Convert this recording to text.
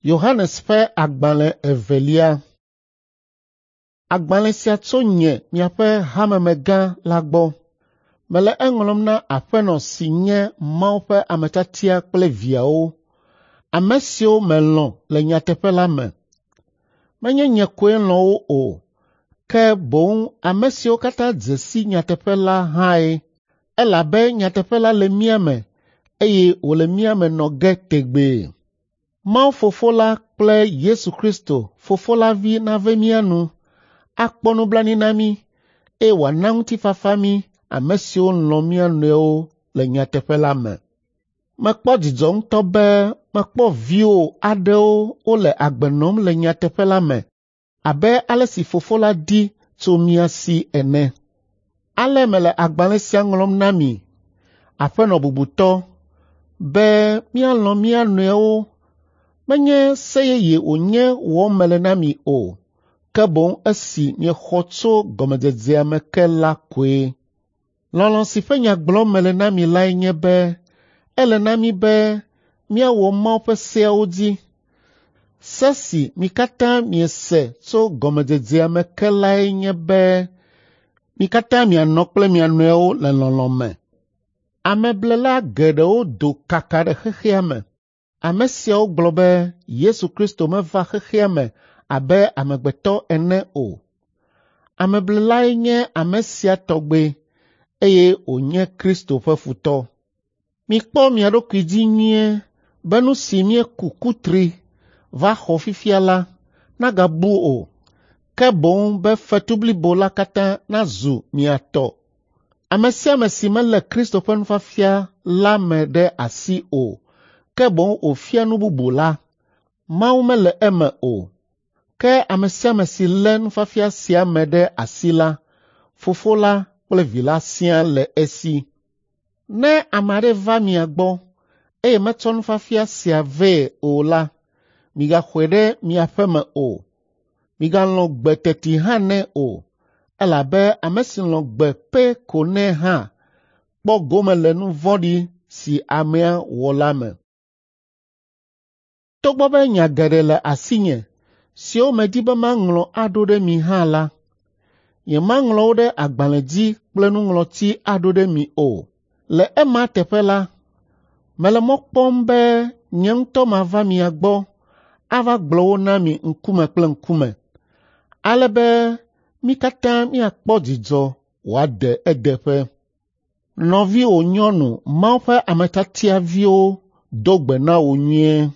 Yohanes ƒe agbalẽ evelia. Agbalẽ sia tso nye miaƒe hamemegã la gbɔ. Mele eŋlɔm na aƒenɔ si nye Mawu ƒe ame tiatia kple viawo, ame siwo melɔ̃ le nyateƒe la me. Menye nye koe lɔ̃ wo o, ke boŋ ame siwo katã dze si nyateƒe la hãe, elabe nyateƒe la le mía me eye wòle mía me nɔ ge tegbee. Mawu Fofo la kple Yesu Kristo, Fofo la Vi nave mía nu, akpɔ nublanui na mí, eye wòana ŋutifafa mí ame siwo lɔ̃ mía nɔewo le nyateƒe la me. Mekpɔ dzidzɔ ŋutɔ be mekpɔ viwò aɖewo wole agbe nɔm le nyateƒe la me abe ale si Fofo la di tso mía si ene. Ale mele agbalẽ sia ŋlɔm na mi, aƒenɔ bubutɔ, be míalɔ̃ mía nɔewo. Menye se yeye wònye wɔm mele na mi o, ke boŋ esi miexɔ tso gɔmedzedzea me ke la koe. Lɔlɔ̃ si ƒe nya gblɔm mele na mi lae nye be ele na mí be míawɔ Mawu ƒe seawo dzi. Se si mi katã miese tso gɔmedzedzea me ke lae nye be mi katã mianɔ kple mia nɔewo le lɔlɔ̃ me. Ameblela geɖewo do kaka ɖe xexea me. Ame siawo gblɔ be Yesu Kristo meva xexea me abe amegbetɔ ene o. Ameblelae nye ame sia tɔgbe eye wònye Kristo ƒe futɔ. Mikpɔ mia ɖokui dzi nyuie be nu si míeku kutri va xɔ fifia la nagabu o, ke boŋ be fetu blibo la katã nazu mia tɔ. Ame sia ame si melé Kristo ƒe nufiafia la me ɖe asi o, ke boŋ wòfia nu bubu la, Mawu mele eme o. Ke ame sia ame si lé nufiafia sia me ɖe asi la, Fofo la kple Vi la siaa le esi. Ne ame aɖe va mia gbɔ, eye metsɔ nufiafia sia vɛ o la, migaxɔe ɖe mia ƒe me o. Migalɔ̃ gbe teti hã nɛ o, elabe ame si lɔ̃ gbe pɛ ko nɛ hã kpɔ gome le nu vɔ̃ɖi si amea wɔ la me. Togbɔ be nya geɖe le asinye siwo medi be maŋlɔ aɖo ɖe mi hã la, nyemaŋlɔ wo ɖe agbalẽ dzi kple nuŋlɔti aɖo ɖe mi o. Le ema teƒe la, mele mɔ kpɔm be nye ŋutɔ mava mia gbɔ ava gblɔ wo na mi ŋkume kple ŋkume, ale be mí katã míakpɔ dzidzɔ wòade edeƒe. Nɔviwò nyɔnu Mawu ƒe ame tiatia viwo do gbe na wò nyuie.